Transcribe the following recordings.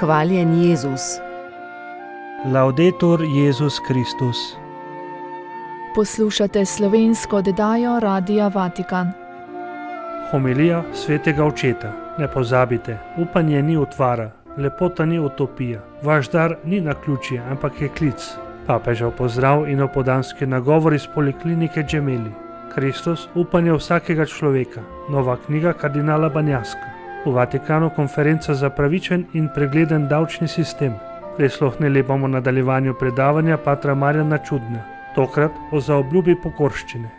Hvaljen Jezus. Laudetur Jezus Kristus. Poslušate slovensko oddajo Radia Vatikan. Homilija svetega očeta. Ne pozabite, upanje ni utvara, lepota ni utopija, vaš dar ni naključje, ampak je klic. Papežev pozdrav in opoldanski nagovor iz poliklinike Gemelli. Kristus, upanje vsakega človeka. Nova knjiga kardinala Banjaska. V Vatikanu konferenca za pravičen in pregleden davčni sistem. Prisluhnili bomo nadaljevanju predavanja patra Marjana Čudna, tokrat o zaobljubi pokorščine.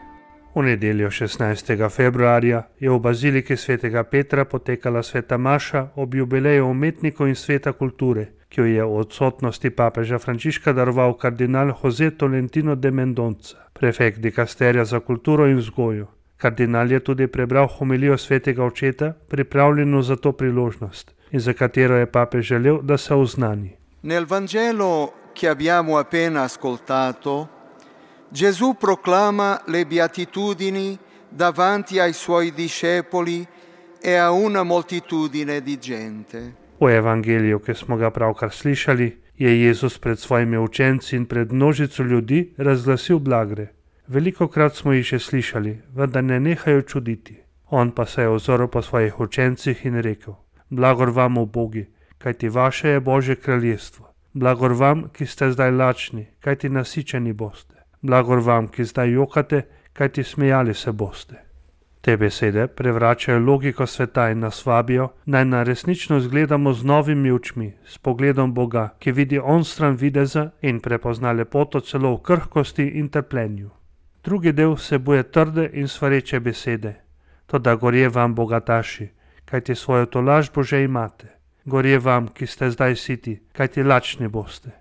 V nedeljo 16. februarja je v baziliki svetega Petra potekala sveta maša ob jubileju umetnikov in sveta kulture, ki jo je v odsotnosti papeža Frančiška daroval kardinal José Tolentino de Mendonca, prefekt dikasterija za kulturo in vzgojo. Kardinal je tudi prebral homilijo svetega očeta, pripravljeno za to priložnost, in za katero je papež želel, da se oznani. Nel Vangelo che abbiamo appena ascoltato, Gesù proclama le beatitudini davanti ai suoi discepoli e a una moltitudine di gente. V evangeliju, ki smo ga pravkar slišali, je Jezus pred svojimi učenci in pred množico ljudi razglasil blagre. Velikokrat smo jih že slišali, vendar ne nehajo čuditi. On pa se je ozrl po svojih učencih in rekel: Blagor vam, ubogi, kajti vaše je Božje kraljestvo. Blagor vam, ki ste zdaj lačni, kajti nasičeni boste. Blagor vam, ki zdaj jokate, kajti smejali se boste. Te besede prevračajo logiko sveta in nas vabijo, naj na resničnost gledamo z novimi očmi, s pogledom Boga, ki vidi onstran videza in prepozna lepoto celo v krhkosti in trpljenju. Drugi del vsebuje trde in svareče besede. Toda gorje vam, bogataši, kajti svojo tolažbo že imate. Gorje vam, ki ste zdaj siti, kajti lačni boste.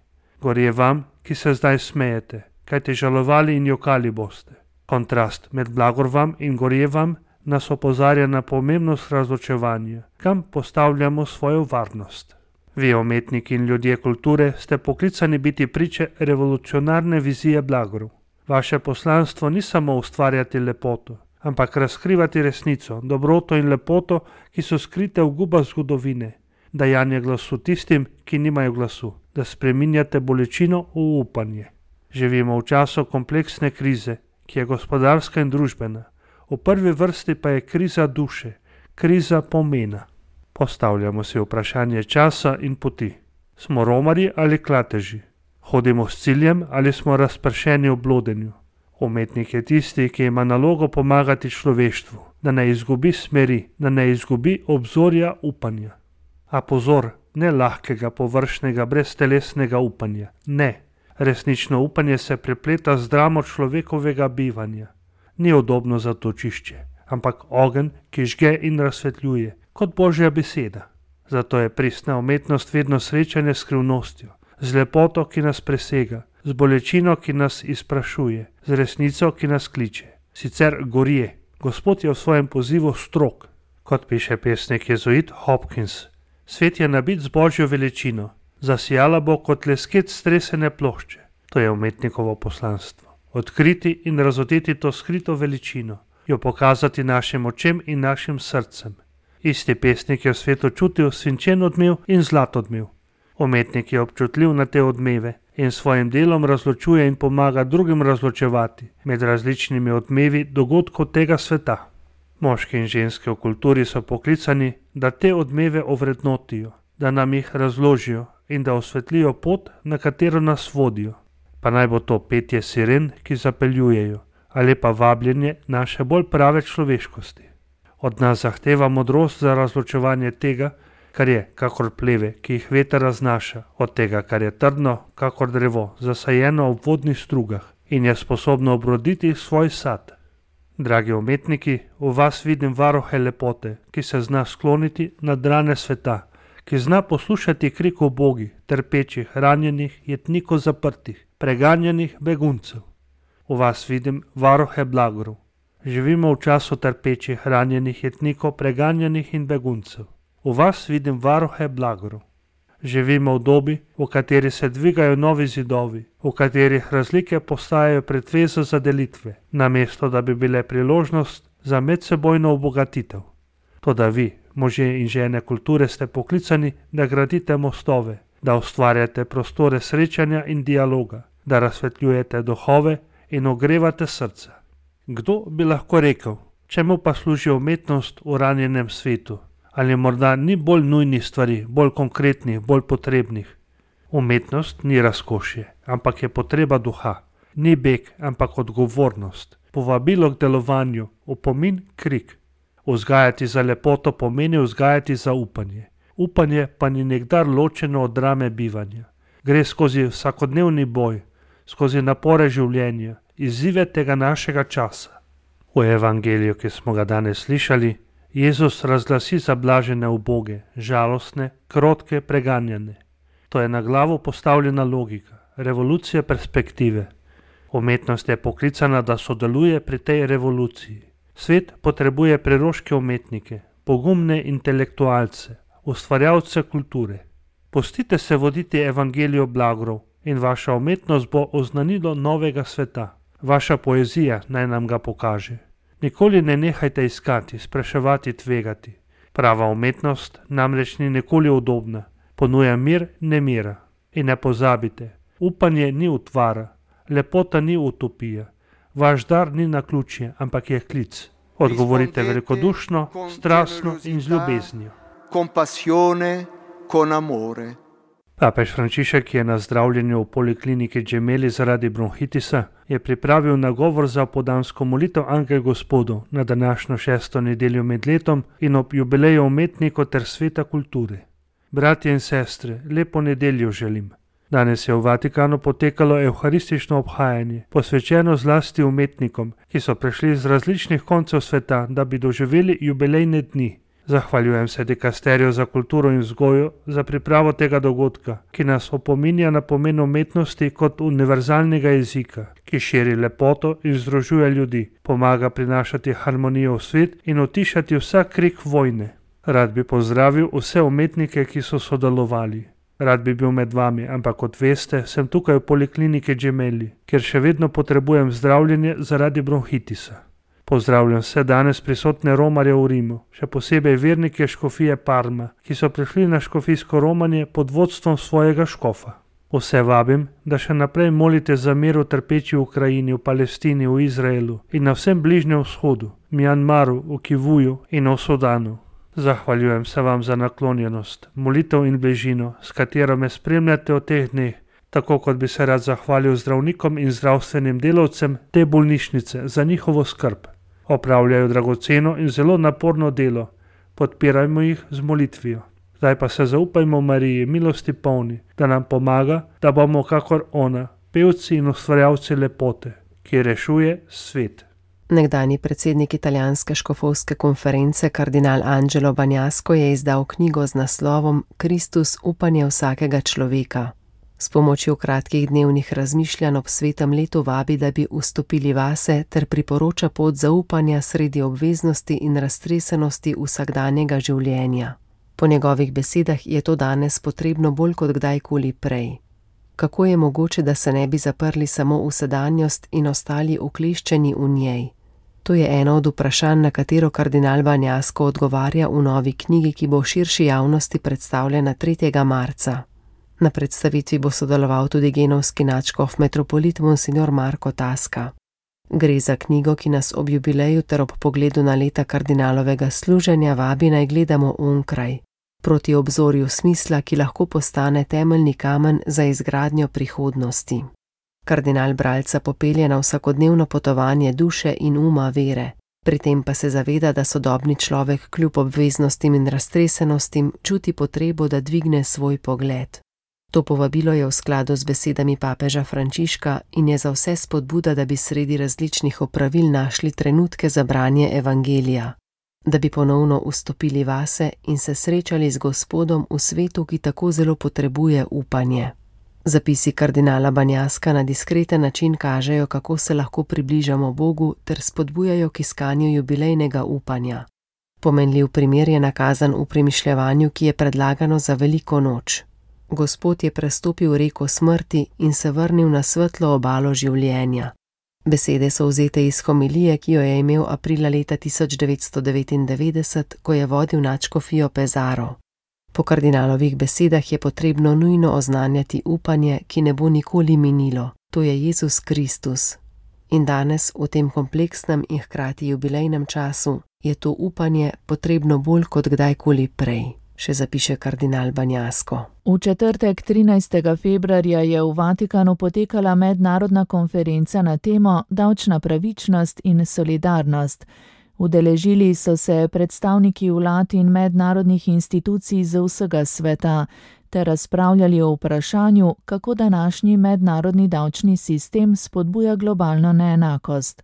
Gorje vam, ki se zdaj smejete, kajti žalovali in jokali boste. Kontrast med blagor vam in gorje vam nas opozarja na pomembnost razločevanja, kam postavljamo svojo varnost. Vi, umetniki in ljudje kulture, ste poklicani biti priče revolucionarne vizije blagorov. Vaše poslanstvo ni samo ustvarjati lepoto, ampak razkrivati resnico, dobroto in lepoto, ki so skrite v gubah zgodovine, dajanje glasu tistim, ki nimajo glasu, da spreminjate bolečino v upanje. Živimo v času kompleksne krize, ki je gospodarska in družbena. V prvi vrsti pa je kriza duše, kriza pomena. Postavljamo si vprašanje časa in poti. Smo romarji ali klateži? Hodimo s ciljem ali smo razpršeni v blodenju? Umetnik je tisti, ki ima nalogo pomagati človeštvu, da ne izgubi smeri, da ne izgubi obzorja upanja. A pozor, ne lahkega, površnega, breztelesnega upanja. Ne. Resnično upanje se prepleta z dramo človekovega bivanja. Ni udobno zatočišče, ampak ogenj, ki žge in razsvetljuje, kot Božja beseda. Zato je pristna umetnost vedno srečanje s skrivnostjo, z lepoto, ki nas presega, z bolečino, ki nas izprašuje, z resnico, ki nas kliče. Sicer gorje. Gospod je v svojem pozivu strog. Kot piše pesnik jezuit Hopkins, svet je nabit z Božjo veličino. Zasijala bo kot lesket stresene plošče. To je umetnikovo poslanstvo. Odkriti in razodeti to skrito veličino, jo pokazati našim očem in našim srcem. Isti pesnik je v svetu čutil svinčen odmev in zlat odmev. Umetnik je občutljiv na te odmeve in svojim delom razločuje in pomaga drugim razločevati med različnimi odmevi dogodkov tega sveta. Moški in ženske v kulturi so poklicani, da te odmeve ovrednotijo, da nam jih razložijo in da osvetlijo pot, na katero nas vodijo. Pa naj bo to petje siren, ki zapeljujejo, ali pa vabljenje naše bolj prave človeškosti. Od nas zahteva modrost za razločevanje tega, kar je kakor pleve, ki jih veter raznaša, od tega, kar je trdno, kakor drevo, zasajeno ob vodnih strugah in je sposobno obroditi svoj sad. Dragi umetniki, v vas vidim varuhe lepote, ki se zna skloniti nad rane sveta, ki zna poslušati krik ubogi, trpečih, ranjenih, jetnikov zaprtih, preganjanih beguncev. V vas vidim varuhe blagorov. Živimo v času trpečih, ranjenih, jetnikov, preganjanih in beguncev. V vas vidim varuhe blagorov. Živimo v dobi, v kateri se dvigajo novi zidovi, v katerih razlike postajajo pretveza za delitve, namesto da bi bile priložnost za medsebojno obogatitev. Toda vi, Možje in žene kulture ste poklicani, da gradite mostove, da ustvarjate prostore srečanja in dialoga, da razsvetljujete duhove in ogrevate srca. Kdo bi lahko rekel, čemu pa služi umetnost v ranjenem svetu? Ali morda ni bolj nujnih stvari, bolj konkretnih, bolj potrebnih? Umetnost ni razkošje, ampak je potreba duha. Ni beg, ampak odgovornost. Povabilo k delovanju, opomin, krik. Vzgajati za lepoto pomeni vzgajati za upanje. Upanje pa ni nekdar ločeno od drame bivanja. Gre skozi vsakodnevni boj, skozi napore življenja, izzive tega našega časa. V evangeliju, ki smo ga danes slišali, Jezus razglasi zablažene uboge, žalostne, krotke, preganjane. To je na glavo postavljena logika, revolucija perspektive. Umetnost je poklicana, da sodeluje pri tej revoluciji. Svet potrebuje preroške umetnike, pogumne intelektualce, ustvarjalce kulture. Pustite se voditi evangelijo blagrov in vaša umetnost bo oznanilo novega sveta. Vaša poezija naj nam ga pokaže. Nikoli ne nehajte iskati, spraševati, tvegati. Prava umetnost namreč ni nikoli udobna, ponuja mir nemira. In ne pozabite, upanje ni utvara, lepota ni utopija, vaš dar ni naključje, ampak je klic. Odgovorite velikodušno, strastno in z ljubeznijo. Con passione, con amore. Papež Frančišek, ki je na zdravljenju v polikliniki Gemelli zaradi bronhitisa, je pripravil nagovor za opoldansko molitev Angel Gospodov na današnjo 6. nedeljo med letom in ob jubileju umetnikov ter sveta kulture. Bratje in sestre, lepo nedeljo želim. Danes je v Vatikanu potekalo evharistično obhajanje, posvečeno zlasti umetnikom, ki so prišli z različnih koncev sveta, da bi doživeli jubilejne dni. Zahvaljujem se dikasteriju za kulturo in vzgojo za pripravo tega dogodka, ki nas opominja na pomen umetnosti kot univerzalnega jezika, ki širi lepoto in združuje ljudi, pomaga prinašati harmonijo v svet in utišati vsak krik vojne. Rad bi pozdravil vse umetnike, ki so sodelovali. Rad bi bil med vami, ampak kot veste, sem tukaj v polikliniki Gemelli, kjer še vedno potrebujem zdravljenje zaradi bronhitisa. Pozdravljam vse danes prisotne romarje v Rimu, še posebej vernike škofije Parma, ki so prišli na škofijsko romanje pod vodstvom svojega škofa. Vse vabim, da še naprej molite za mir v trpeči Ukrajini, v Palestini, v Izraelu in na vsem Bližnjem vzhodu, Mjanmaru, v Kivuju in v Sudanu. Zahvaljujem se vam za naklonjenost, molitev in bližino, s katero me spremljate v teh dneh, tako kot bi se rad zahvalil zdravnikom in zdravstvenim delavcem te bolnišnice za njihovo skrb. Opravljajo dragoceno in zelo naporno delo, podpirajmo jih z molitvijo. Zdaj pa se zaupajmo Mariji, milosti polni, da nam pomaga, da bomo kakor ona, pevci in ustvarjalci lepote, ki rešuje svet. Nekdanji predsednik italijanske škofovske konference kardinal Angelo Bagnasco je izdal knjigo z naslovom Kristus, upanje vsakega človeka. S pomočjo kratkih dnevnih razmišljanj ob svetem letu vabi, da bi vstopili vase ter priporoča pot zaupanja sredi obveznosti in raztresenosti vsakdanjega življenja. Po njegovih besedah je to danes potrebno bolj kot kdajkoli prej. Kako je mogoče, da se ne bi zaprli samo v sedanjost in ostali ukleščeni v njej? To je eno od vprašanj, na katero kardinal Bagnasco odgovarja v novi knjigi, ki bo širši javnosti predstavljena 3. marca. Na predstavitvi bo sodeloval tudi genovski nadškof metropolit monsignor Marko Tasca. Gre za knjigo, ki nas ob jubileju ter ob pogledu na leta kardinalovega služenja vabi naj gledamo onkraj, proti obzorju smisla, ki lahko postane temeljni kamen za izgradnjo prihodnosti. Kardinal bralca popelje na vsakodnevno potovanje duše in uma vere, pri tem pa se zaveda, da sodobni človek kljub obveznostim in raztresenostim čuti potrebo, da dvigne svoj pogled. To povabilo je v skladu z besedami papeža Frančiška in je za vse spodbuda, da bi sredi različnih opravil našli trenutke za branje evangelija, da bi ponovno vstopili vase in se srečali z Gospodom v svetu, ki tako zelo potrebuje upanje. Zapisi kardinala Bagnasca na diskreten način kažejo, kako se lahko približamo Bogu ter spodbujajo k iskanju jubilejnega upanja. Pomenljiv primer je nakazan v premišljevanju, ki je predlagano za veliko noč. Gospod je prestopil reko smrti in se vrnil na svetlo obalo življenja. Besede so vzete iz homilije, ki jo je imel aprila leta 1999, ko je vodil nadškofijo Pesaro. Po kardinalovih besedah je potrebno nujno oznanjati upanje, ki ne bo nikoli minilo, to je Jezus Kristus. In danes, v tem kompleksnem in hkrati jubilejnem času, je to upanje potrebno bolj kot kdajkoli prej, še zapiše kardinal Banjasko. V četrtek 13. februarja je v Vatikanu potekala mednarodna konferenca na temo davčna pravičnost in solidarnost. Udeležili so se predstavniki vlad in mednarodnih institucij z vsega sveta ter razpravljali o vprašanju, kako današnji mednarodni davčni sistem spodbuja globalno neenakost.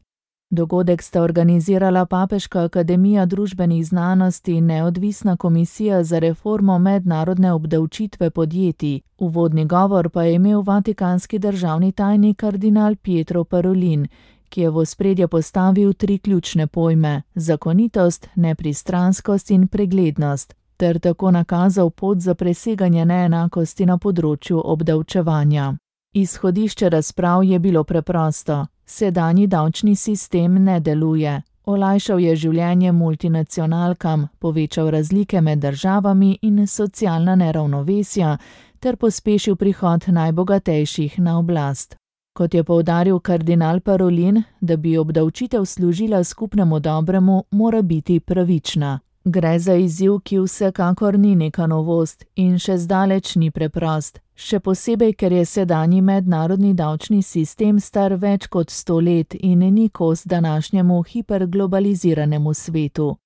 Dogodek sta organizirala Papeška akademija družbenih znanosti in Neodvisna komisija za reformo mednarodne obdavčitve podjetij. Uvodni govor pa je imel vatikanski državni tajnik kardinal Pietro Parolin, ki je v ospredje postavil 3 ključne pojme: zakonitost, nepristranskost in preglednost, ter tako nakazal pot za preseganje neenakosti na področju obdavčevanja. Izhodišče razprav je bilo preprosto. Sedanji davčni sistem ne deluje. Olajšal je življenje multinacionalkam, povečal razlike med državami in socialna neravnovesja ter pospešil prihod najbogatejših na oblast. Kot je poudaril kardinal Parolin, da bi obdavčitev služila skupnemu dobremu, mora biti pravična. Gre za izziv, ki vsekakor ni neka novost in še zdaleč ni preprost, še posebej, ker je sedanji mednarodni davčni sistem star več kot 100 let in ni kos današnjemu hiperglobaliziranemu svetu.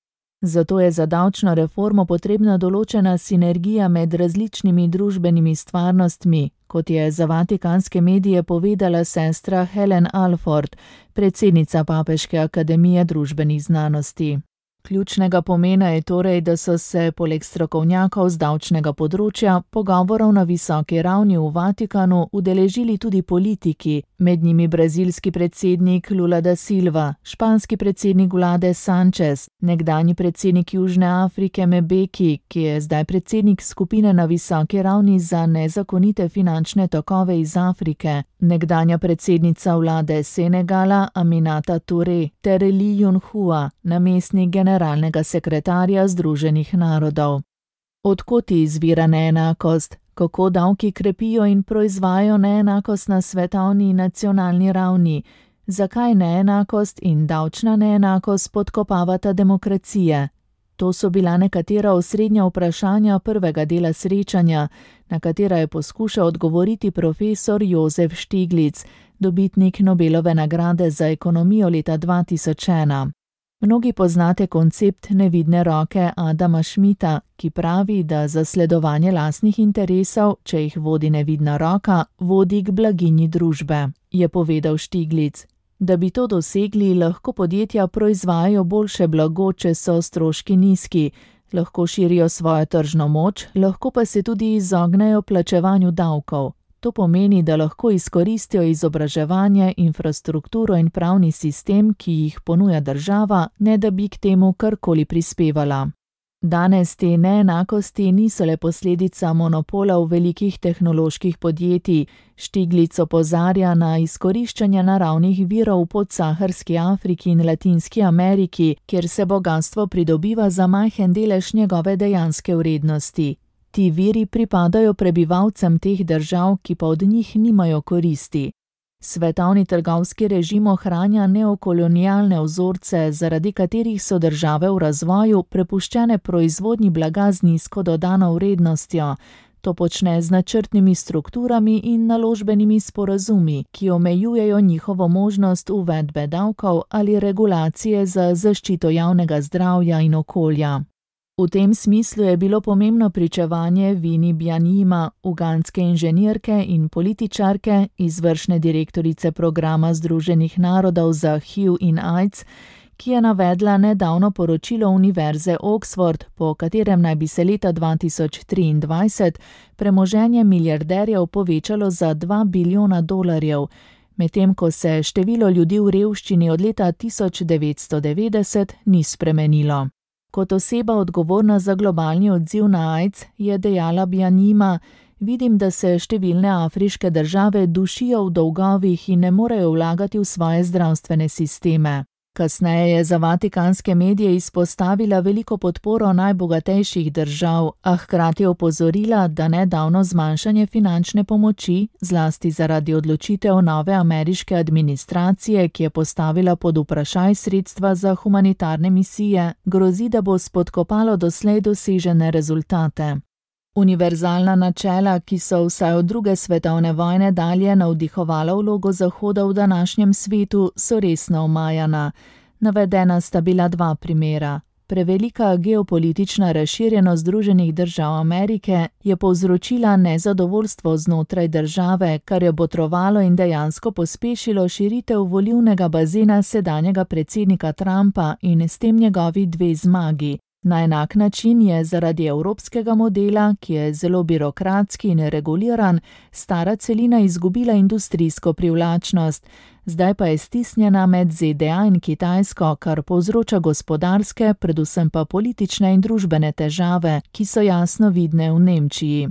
Zato je za davčno reformo potrebna določena sinergija med različnimi družbenimi stvarnostmi, kot je za vatikanske medije povedala sestra Helen Alford, predsednica Papeške akademije družbenih znanosti. Ključnega pomena je torej, da so se poleg strokovnjakov z davčnega področja pogovorov na visoki ravni v Vatikanu udeležili tudi politiki, med njimi brazilski predsednik Lula da Silva, španski predsednik vlade Sanchez, nekdanji predsednik Južne Afrike Mbeki, ki je zdaj predsednik skupine na visoki ravni za nezakonite finančne tokove iz Afrike, nekdanja predsednica vlade Senegala Aminata Touré ter Lee Yun-hua, namestnik generalnega sekretarja Združenih narodov. Od kod izvira neenakost? Kako davki krepijo in proizvajajo neenakost na svetovni in nacionalni ravni? Zakaj neenakost in davčna neenakost podkopavata demokracije? To so bila nekatera osrednja vprašanja prvega dela srečanja, na katera je poskušal odgovoriti profesor Josef Stiglitz, dobitnik Nobelove nagrade za ekonomijo leta 2001. Mnogi poznate koncept nevidne roke Adama Schmidta, ki pravi, da zasledovanje lastnih interesov, če jih vodi nevidna roka, vodi k blaginji družbe, je povedal Stiglitz. Da bi to dosegli, lahko podjetja proizvajajo boljše blago, če so stroški nizki, lahko širijo svojo tržno moč, lahko pa se tudi izognejo plačevanju davkov. To pomeni, da lahko izkoristijo izobraževanje, infrastrukturo in pravni sistem, ki jih ponuja država, ne da bi k temu karkoli prispevala. Danes te neenakosti niso le posledica monopola v velikih tehnoloških podjetij. Stiglitz opozarja na izkoriščanje naravnih virov v podsaharski Afriki in Latinski Ameriki, kjer se bogastvo pridobiva za majhen delež njegove dejanske vrednosti. Ti viri pripadajo prebivalcem teh držav, ki pa od njih nimajo koristi. Svetovni trgovski režim ohranja neokolonialne vzorce, zaradi katerih so države v razvoju prepuščene proizvodnji blaga z nizko dodano vrednostjo. To počne z načrtnimi strukturami in naložbenimi sporazumi, ki omejujejo njihovo možnost uvedbe davkov ali regulacije za zaščito javnega zdravja in okolja. V tem smislu je bilo pomembno pričevanje Winnie Byanyima, ugandske inženirke in političarke, izvršne direktorice programa Združenih narodov za HIV in AIDS, ki je navedla nedavno poročilo Univerze Oxford, po katerem naj bi se leta 2023 premoženje milijarderjev povečalo za $2 bilijona, medtem ko se število ljudi v revščini od leta 1990 ni spremenilo. Kot oseba odgovorna za globalni odziv na AIDS je dejala Byanyima, Vidim, da se številne afriške države dušijo v dolgovih in ne morejo vlagati v svoje zdravstvene sisteme. Kasneje je za vatikanske medije izpostavila veliko podporo najbogatejših držav, a hkrati opozorila, da nedavno zmanjšanje finančne pomoči, zlasti zaradi odločitev nove ameriške administracije, ki je postavila pod vprašaj sredstva za humanitarne misije, grozi, da bo spodkopalo doslej dosežene rezultate. Univerzalna načela, ki so vsaj od druge svetovne vojne dalje navdihovala vlogo Zahoda v današnjem svetu, so resno omajana. Navedena sta bila dva primera. Prevelika geopolitična razširjenost Združenih držav Amerike je povzročila nezadovoljstvo znotraj države, kar je botrovalo in dejansko pospešilo širitev volilnega bazena sedanjega predsednika Trumpa in s tem njegovi dve zmagi. Na enak način je zaradi evropskega modela, ki je zelo birokratski in reguliran, stara celina izgubila industrijsko privlačnost, zdaj pa je stisnjena med ZDA in Kitajsko, kar povzroča gospodarske, predvsem pa politične in družbene težave, ki so jasno vidne v Nemčiji.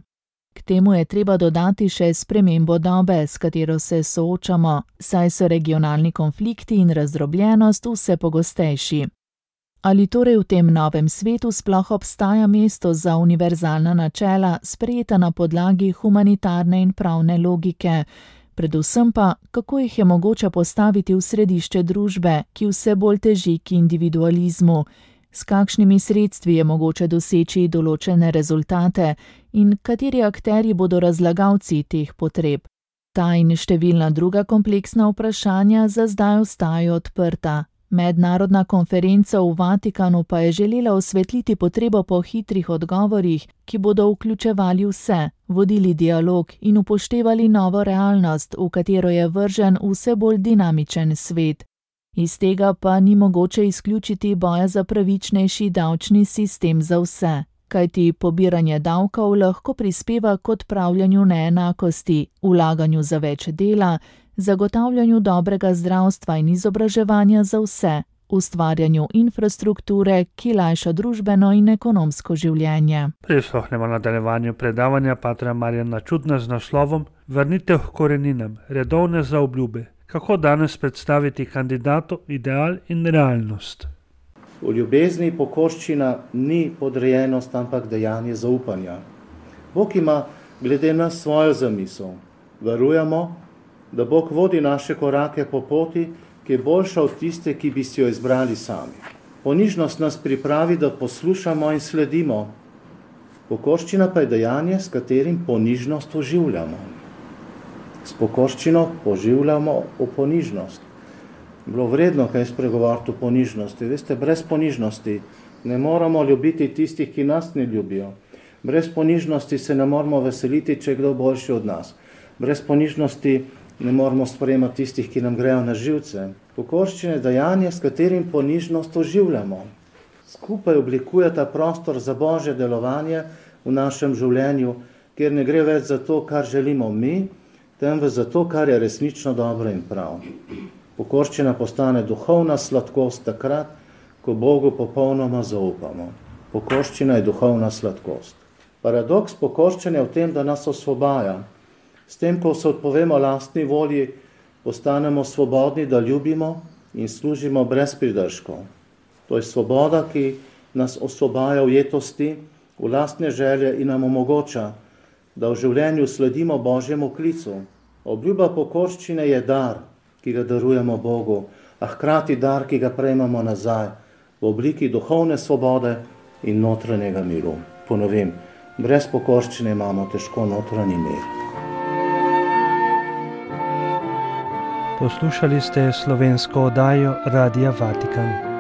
K temu je treba dodati še spremembo dobe, s katero se soočamo, saj so regionalni konflikti in razdrobljenost vse pogostejši. Ali torej v tem novem svetu sploh obstaja mesto za univerzalna načela, sprejeta na podlagi humanitarne in pravne logike? Predvsem pa, kako jih je mogoče postaviti v središče družbe, ki vse bolj teži k individualizmu? S kakšnimi sredstvi je mogoče doseči določene rezultate in kateri akterji bodo razlagalci teh potreb? Ta in številna druga kompleksna vprašanja za zdaj ostajajo odprta. Mednarodna konferenca v Vatikanu pa je želela osvetliti potrebo po hitrih odgovorih, ki bodo vključevali vse, vodili dialog in upoštevali novo realnost, v katero je vržen vse bolj dinamičen svet. Iz tega pa ni mogoče izključiti boja za pravičnejši davčni sistem za vse, kajti pobiranje davkov lahko prispeva k odpravljanju neenakosti, vlaganju za več dela, zagotavljanju dobrega zdravstva in izobraževanja za vse, ustvarjanju infrastrukture, ki lajša družbeno in ekonomsko življenje. Prisluhnemo nadaljevanju predavanja patra Marjana Čudna z naslovom Vrnitev k koreninam, redovne zaobljube. Kako danes predstaviti kandidatu ideal in realnost? V ljubezni pokorščina ni podrejenost, ampak dejanje zaupanja. Bog ima glede nas svojo zamisel. Verujemo, da Bog vodi naše korake po poti, ki je boljša od tiste, ki bi si jo izbrali sami. Ponižnost nas pripravi, da poslušamo in sledimo. Pokorščina pa je dejanje, s katerim ponižnost oživljamo. S pokorščino poživljamo v ponižnost. Bilo vredno kaj spregovoriti o ponižnosti. Veste, brez ponižnosti ne moramo ljubiti tistih, ki nas ne ljubijo. Brez ponižnosti se ne moramo veseliti, če je kdo boljši od nas. Brez ponižnosti ne moramo sprejemati tistih, ki nam grejo na živce. Pokorščina je dejanje, s katerim ponižnost oživljamo. Skupaj oblikujeta prostor za Božje delovanje v našem življenju, kjer ne gre več za to, kar želimo mi, temveč za to, kar je resnično dobro in prav. Pokorščina postane duhovna sladkost takrat, ko Bogu popolnoma zaupamo. Pokorščina je duhovna sladkost. Paradoks pokorščenja je v tem, da nas osvobaja. S tem, ko se odpovemo lastni volji, postanemo svobodni, da ljubimo in služimo brez pridržkov. To je svoboda, ki nas osvobaja ujetosti, v lastne želje in nam omogoča, da v življenju sledimo Božjemu klicu. Obljuba pokorščine je dar, ki ga darujemo Bogu, a hkrati dar, ki ga prejmemo nazaj v obliki duhovne svobode in notranjega miru. Ponovim, brez pokorščine imamo težko notranji mir. Poslušali ste slovensko oddajo Radia Vatikan.